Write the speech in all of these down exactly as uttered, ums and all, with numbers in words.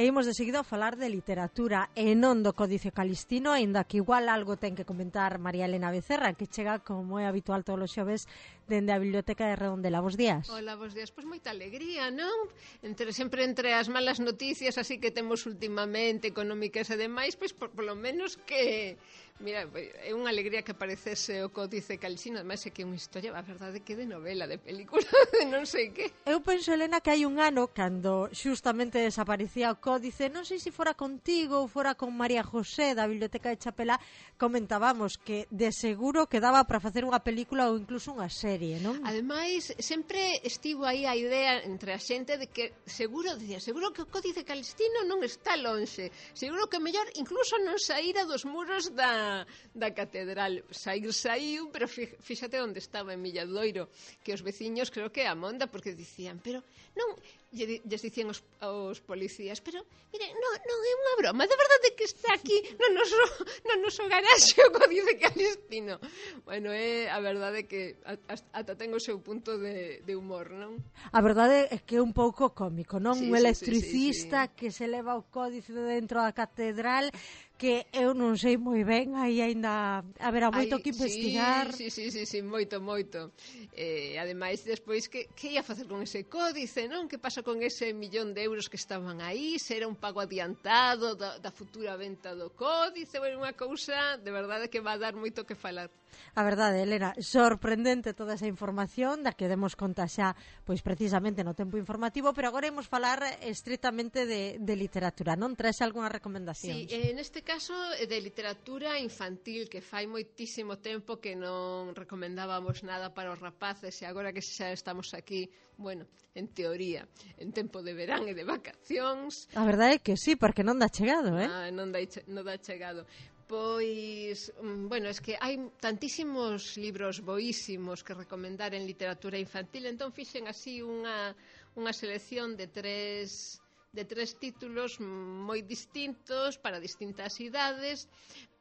E imos de seguido a falar de literatura e non do Códice Calistino, aínda que igual algo ten que comentar María Elena Becerra, que chega, como é habitual todos os xoves, dende a Biblioteca de Redondela. Bos días. Hola, bos días. Pois moita alegría, non? Entre, sempre entre as malas noticias así que temos últimamente, económicas e demais, pois por, por lo menos que... Mira, é unha alegría que aparecese o Códice Calistino, ademais é que é unha historia, a verdade, que de novela, de película, de non sei que. Eu penso, Elena, que hai un ano, cando xustamente desaparecía o Códice, non sei se fora contigo ou fora con María José da Biblioteca de Chapela, comentábamos que de seguro que daba para facer unha película ou incluso unha serie, non? Ademais, sempre estivo aí a idea entre a xente de que seguro, dicía, seguro que o Códice Calistino non está lonxe, seguro que mellor incluso non saíra dos muros da da catedral. Saír saíu, pero fíxate onde estaba, en Milladoiro, que os veciños creo que a monda, porque dicían, pero non, lles dicían os, os policías, pero, mire, non, non é unha broma, de verdade que está aquí no noso, no noso garaxe o Códice Calistino. Bueno, é a verdade que ata ten o seu punto de, de humor, non? A verdade é que é un pouco cómico, non? Sí, Un sí, electricista sí, sí, sí. que se leva o códice de dentro da catedral, que eu non sei moi ben, aí aínda haberá moito Ay, que investigar. Sí, sí, sí, sí, moito, moito. Eh, ademais, despois, que, que ia facer con ese códice, non? Que pasa con ese millón de euros que estaban aí? Se era un pago adiantado da, da futura venta do códice? Bueno, unha cousa, de verdade, que va a dar moito que falar. A verdade, Elena, sorprendente toda esa información da que demos conta xa, pois precisamente no tempo informativo, pero agora imos falar estritamente de, de literatura, non? Traes algunha recomendación? Sí, eh, neste caso de literatura infantil, que fai moitísimo tempo que non recomendábamos nada para os rapaces, e agora que xa estamos aquí, bueno, en teoría, en tempo de verán e de vacacións. A verdade é que sí, porque non dá chegado, eh? Ah, non dá, non dá chegado. Pois, bueno, es que hai tantísimos libros boísimos que recomendar en literatura infantil, entón fixen así unha, unha selección de tres, de tres títulos moi distintos para distintas idades,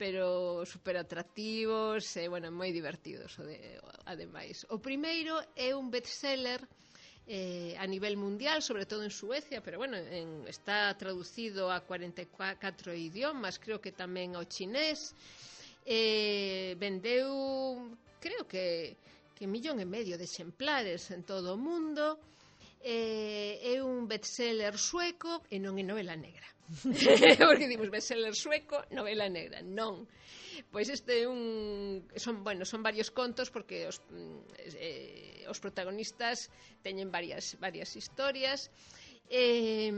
pero super atractivos e, bueno, moi divertidos, ademais. O primeiro é un bestseller Eh, a nivel mundial, sobre todo en Suecia, pero bueno, en, está traducido a cuarenta e catro idiomas, creo que tamén ao chinés. Eh, vendeu, creo que, que millón e medio de exemplares en todo o mundo. Eh, é un bestseller sueco e non é novela negra. Porque dimos bestseller sueco, novela negra, non. Pois este é un son, bueno, son varios contos porque os, eh, os protagonistas teñen varias, varias historias. Eh,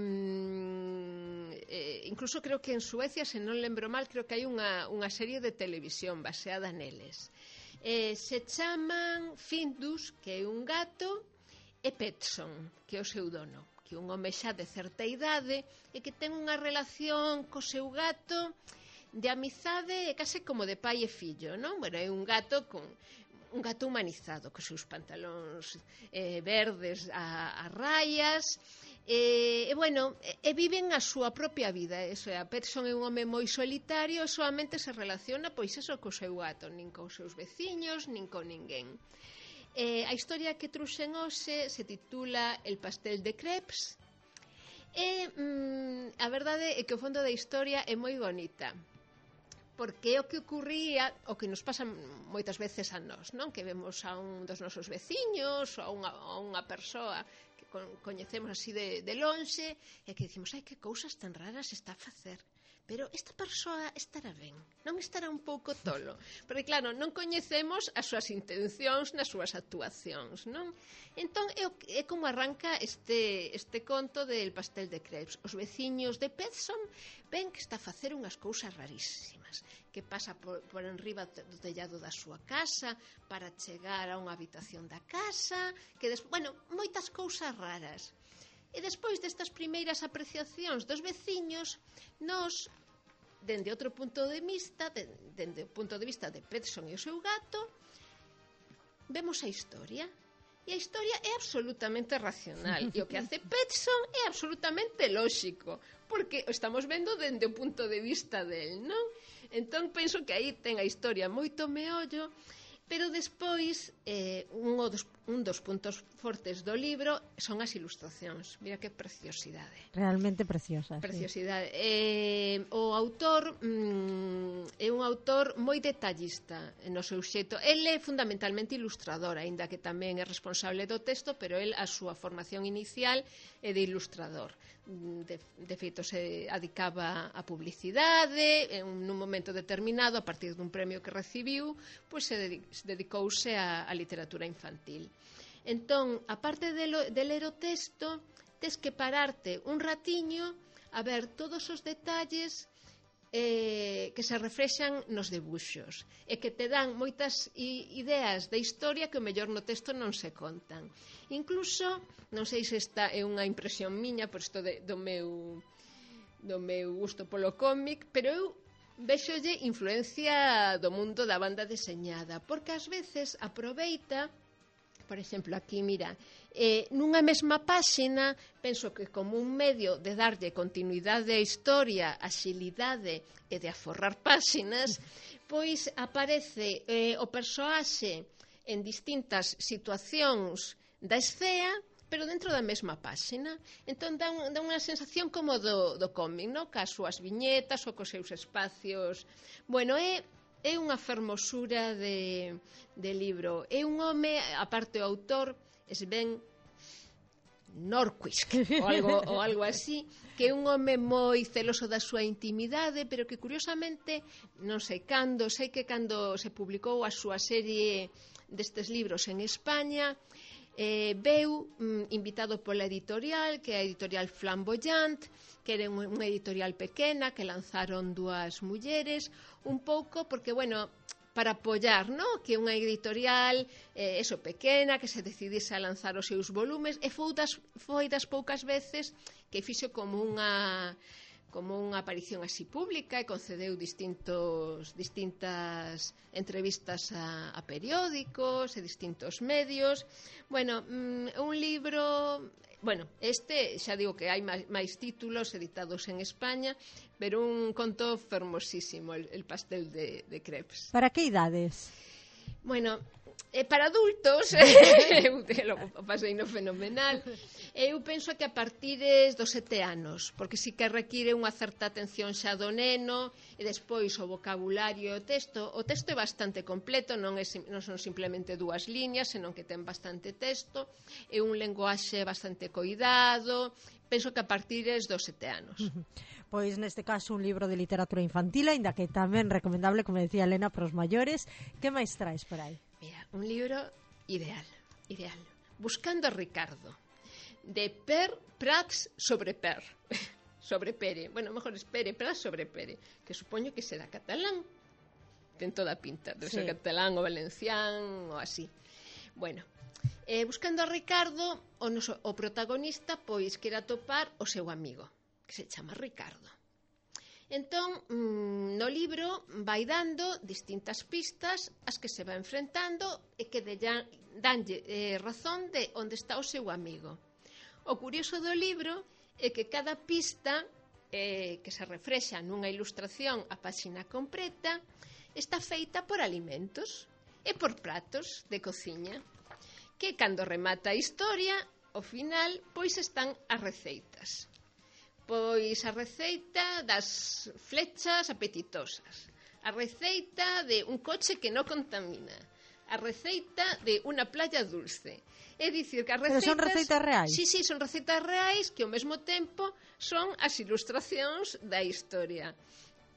eh, incluso creo que en Suecia, se non lembro mal, creo que hai unha, unha serie de televisión baseada neles. Eh, se chaman Findus, que é un gato, e Petson, que é o seu dono, que é un home xa de certa idade e que ten unha relación co seu gato de amizade e case como de pai e fillo, non? Bueno, é un gato con un gato humanizado, cos seus pantalóns eh, verdes a, a rayas, e, e bueno, e, e viven a súa propia vida. Eso é, a Petson é un home moi solitario e solamente se relaciona, pois eso, co seu gato, nin cos seus veciños, nin con ninguén. Eh, a historia que truxen hoxe se titula El pastel de crepes e mm, a verdade é que o fondo da historia é moi bonita, porque é o que ocurría, o que nos pasa moitas veces a nós, non? Que vemos a un dos nosos veciños ou a unha, a unha persoa que con, coñecemos así de, de lonxe e que dicimos, ai, que cousas tan raras está a facer. Pero esta persoa estará ben, non estará un pouco tolo, porque claro, non coñecemos as súas intencións nas súas actuacións, non? Entón é, é como arranca este, este conto del pastel de crepes. Os veciños de Petson ven que está a facer unhas cousas rarísimas, que pasa por, por enriba do tellado da súa casa para chegar a unha habitación da casa, que des... bueno, moitas cousas raras. E despois destas primeiras apreciacións dos veciños, nós, dende outro punto de vista, dende o punto de vista de Petson e o seu gato, vemos a historia. E a historia é absolutamente racional. E o que hace Petson é absolutamente lóxico, porque o estamos vendo dende o punto de vista del, non? Entón, penso que aí ten a historia moito meollo. Pero despois, eh, un, dos, un dos puntos fortes do libro son as ilustracións. Mira que preciosidade. Realmente preciosa. Preciosidade. Sí. Eh, o autor mm, é un autor moi detallista no seu xeito. El é fundamentalmente ilustrador, aínda que tamén é responsable do texto, pero el a súa formación inicial é de ilustrador. De, de feito, se adicaba a publicidade, en un momento determinado, a partir dun premio que recibiu, pois se, dedic, se dedicouse a, a literatura infantil. Entón, aparte de, lo, de ler o texto, tes que pararte un ratiño a ver todos os detalles eh, que se reflexan nos debuxos e que te dan moitas ideas da historia que o mellor no texto non se contan. Incluso, non sei se esta é unha impresión miña por isto de, do meu do meu gusto polo cómic, pero eu vexolle influencia do mundo da banda deseñada, porque ás veces aproveita, por exemplo, aquí, mira, eh, nunha mesma páxina, penso que como un medio de darlle continuidade á historia, axilidade e de aforrar páxinas, pois aparece eh, o persoaxe en distintas situacións da escena, pero dentro da mesma páxina. Entón dá, un, dá unha sensación como do, do cómic, no? Cas súas viñetas ou cos seus espacios. Bueno, é, é unha fermosura de, de libro. É un home, aparte o autor, Sven Nordqvist ou algo, ou algo así, que é un home moi celoso da súa intimidade, pero que curiosamente, non sei cando, sei que cando se publicou a súa serie destes libros en España, eh, veu mm, invitado pola editorial, que é a editorial Flamboyant, que era unha editorial pequena que lanzaron dúas mulleres, un pouco porque, bueno, para apoiar, ¿no? Que unha editorial eh, eso, pequena, que se decidise a lanzar os seus volumes, e foi das, foi das poucas veces que fixo como unha como unha aparición así pública e concedeu distintos, distintas entrevistas a, a periódicos e distintos medios. Bueno, mm, un libro... Bueno, este, xa digo que hai máis, máis títulos editados en España, pero un conto fermosísimo, el, el pastel de, de crepes. Para que idades? Bueno, eh, para adultos, eu o pasei no fenomenal, eu penso que a partir dos sete anos, porque sí que require unha certa atención xa do neno, e despois o vocabulario e o texto. O texto é bastante completo, non, é, non son simplemente dúas liñas, senón que ten bastante texto, é un lenguaxe bastante coidado, penso que a partir dos sete anos. Pois neste caso un libro de literatura infantil, aínda que tamén recomendable, como decía Elena, para os maiores. Que máis traes por aí? Mira, un libro ideal, ideal. Buscando a Ricardo, de Per Prats sobre Per. Sobre Pere. Bueno, mejor es Pere Prats sobre Pere, que supoño que será catalán. Ten toda a pinta de ser sí. Catalán ou valencián ou así. Bueno, eh, buscando a Ricardo, o, noso, o protagonista pois quere atopar o seu amigo, que se chama Ricardo. Entón, mmm, no libro vai dando distintas pistas as que se va enfrentando e que dellan, danlle eh, razón de onde está o seu amigo. O curioso do libro é que cada pista eh, que se refrexa nunha ilustración a páxina completa está feita por alimentos e por pratos de cociña, que cando remata a historia, ao final, pois están as receitas. Pois a receita das flechas apetitosas, a receita de un coche que non contamina, a receita de unha playa dulce. É dicir, que as receitas... Pero son receitas reais? Sí, sí, son receitas reais que ao mesmo tempo son as ilustracións da historia.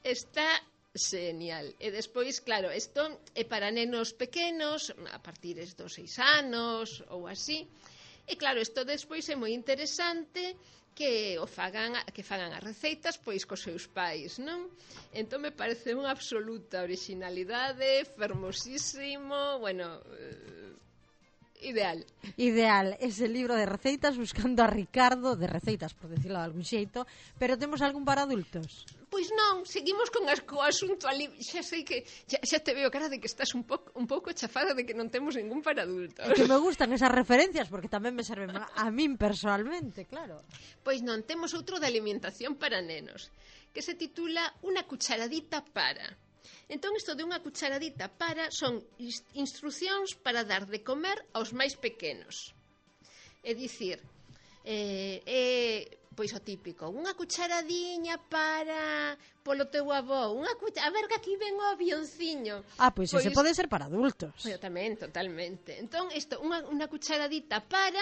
Está genial. E despois, claro, isto é para nenos pequenos, a partir dos seis anos ou así. E claro, isto despois é moi interesante que o fagan, que fagan as receitas pois cos seus pais, non? Entón me parece unha absoluta originalidade, fermosísimo, bueno, eh, ideal. Ideal, ese libro de receitas buscando a Ricardo, de receitas, por decirlo de algún xeito, pero temos algún para adultos? Pois non, seguimos con as, co asunto ali. Xa sei que xa, xa te veo cara de que estás un pouco un pouco chafada de que non temos ningún para adultos. É que me gustan esas referencias porque tamén me serven a min personalmente, claro. Pois non, temos outro de alimentación para nenos, que se titula Una cucharadita para. Entón, isto de unha cucharadita para son instruccións para dar de comer aos máis pequenos. É dicir, eh, eh, pois o típico, unha cucharadiña para polo teu avó, unha cucha... a ver que aquí ven o avionciño. Ah, pois, pois ese pode ser para adultos. Pois tamén, totalmente. Entón, isto, unha, unha cucharadita para,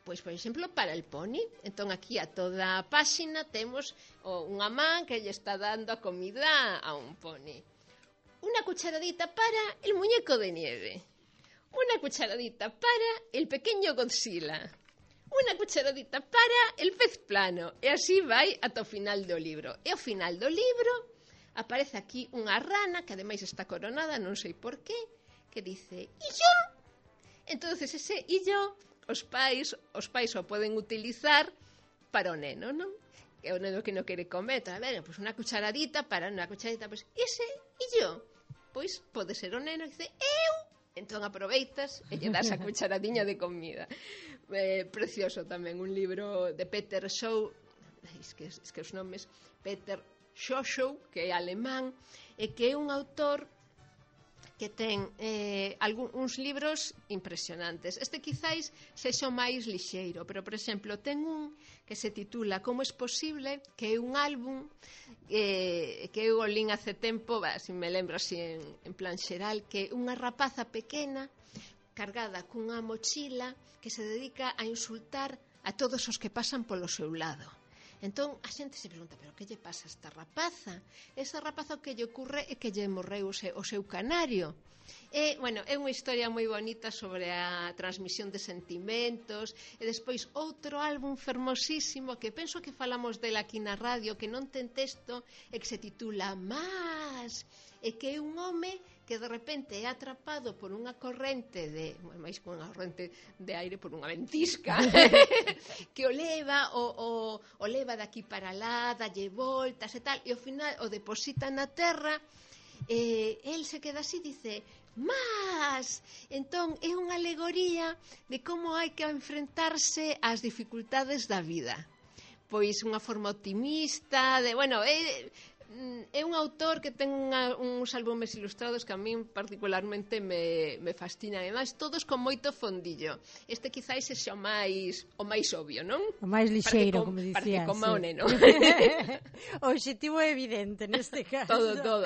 pois, por exemplo, para el poni. Entón, aquí a toda a páxina temos o, unha man que lle está dando a comida a un poni. Una cucharadita para el muñeco de nieve. Una cucharadita para el pequeño Godzilla. Una cucharadita para el pez plano. E así vai ata o final do libro. E ao final do libro aparece aquí unha rana que ademais está coronada, non sei por qué, que dice, "E yo?" Entonces ese "e yo" os pais, os pais o poden utilizar para o neno, non? Que o neno que non quere comer, a ver, pois unha cucharadita para unha cucharadita, pois ese "e yo?" Pois pode ser o neno que dice, "Eu." Entón aproveitas e lle das a cucharadiña de comida. Eh, precioso tamén, un libro de Peter Shaw, es que, es que os nomes, Peter Shaw, que é alemán, e que é un autor que ten eh, algún, uns libros impresionantes. Este quizáis sexa o máis lixeiro, pero, por exemplo, ten un que se titula Como es posible, que é un álbum eh, que eu o lín hace tempo, bah, si me lembro así en, en plan xeral, que é unha rapaza pequena cargada cunha mochila que se dedica a insultar a todos os que pasan polo seu lado. Entón, a xente se pregunta, pero que lle pasa a esta rapaza? Esa rapaza o que lle ocurre é que lle morreu o seu, o seu canario. E, bueno, é unha historia moi bonita sobre a transmisión de sentimentos. E despois outro álbum fermosísimo que penso que falamos dela aquí na radio, que non ten texto, e que se titula Más, e que é un home que de repente é atrapado por unha corrente de, máis que unha corrente de aire, por unha ventisca que o leva o, o, o leva daqui para lá, dalle voltas e tal, e ao final o deposita na terra, e el se queda así, dice Más. Entón é unha alegoría de como hai que enfrentarse ás dificultades da vida, pois unha forma optimista de, bueno, é é un autor que ten unha, uns álbumes ilustrados que a min particularmente me, me fascinan, ademais todos con moito fondillo. Este quizáis é o máis o máis obvio, non? O máis lixeiro, como dicías. Para que coma sí. o neno. O obxectivo é evidente neste caso. Todo, todo.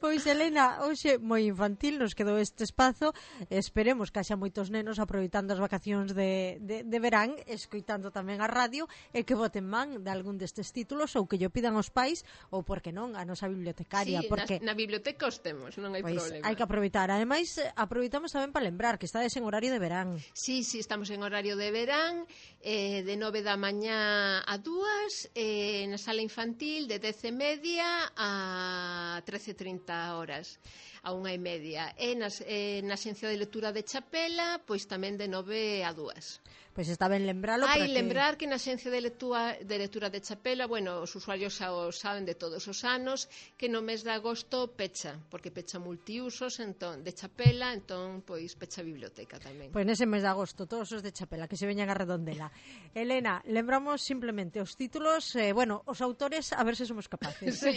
Pois, Elena, hoxe moi infantil nos quedou este espazo. Esperemos que haxa moitos nenos aproveitando as vacacións de, de, de verán, escoitando tamén a radio, e que boten man de algún destes títulos ou que lle pidan aos pais, ou porque non, a nosa bibliotecaria, sí, porque na, na biblioteca os temos, non hai pois, problema. Hai que aproveitar. Ademais, aproveitamos tamén para lembrar que estades en horario de verán. Sí, sí, estamos en horario de verán, eh, de nove da mañá a dúas, eh, na sala infantil de dez e media a trece e trinta horas, a unha e media. E nas, eh, na xencia de lectura de Chapela, pois tamén de nove a dúas. Pois está ben lembralo. Hai que... lembrar que na xencia de lectura, de lectura de Chapela, bueno, os usuarios xa o saben de todos os anos, que no mes de agosto pecha, porque pecha multiusos entón, de Chapela, entón, pois, pecha a biblioteca tamén. Pois nese mes de agosto, todos os de Chapela, que se veñan a Redondela. Elena, lembramos simplemente os títulos, eh, bueno, os autores, a ver se somos capaces. Sí.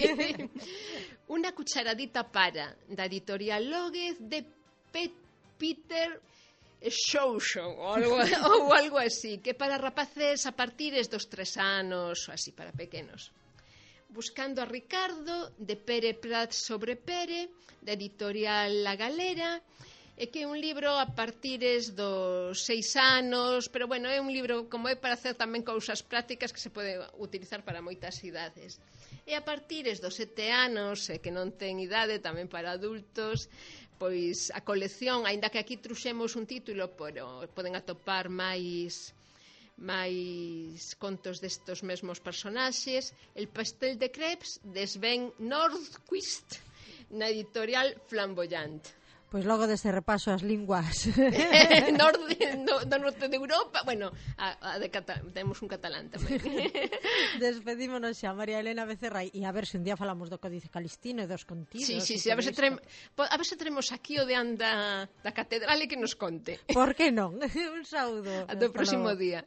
Una cucharadita para, da editorial Lóguez, de Pet Peter Show Show ou algo, ou algo así, que para rapaces a partires dos tres anos, así para pequenos. Buscando a Ricardo, de Pere Prats sobre Pere, da editorial La Galera, e que é un libro a partires dos seis anos, pero bueno, é un libro como é para hacer tamén cousas prácticas que se pode utilizar para moitas idades. E a partires dos sete anos, e que non ten idade tamén para adultos, pois a colección, aínda que aquí truxemos un título, pero poden atopar máis máis contos destos mesmos personaxes. El pastel de crepes de Sven Nordqvist, na editorial Flamboyant. Pois logo deste repaso as linguas Norde, no, do norte de Europa, bueno, a, a de Cata, temos un catalán tamén. Despedímonos xa, María Elena Becerra, e a ver se un día falamos do Códice Calistino e dos contidos. Sí, sí, sí, a ver se traemos, a ver se traemos aquí o de anda da catedral e que nos conte. Por que non? Un saúdo. Ata o próximo día.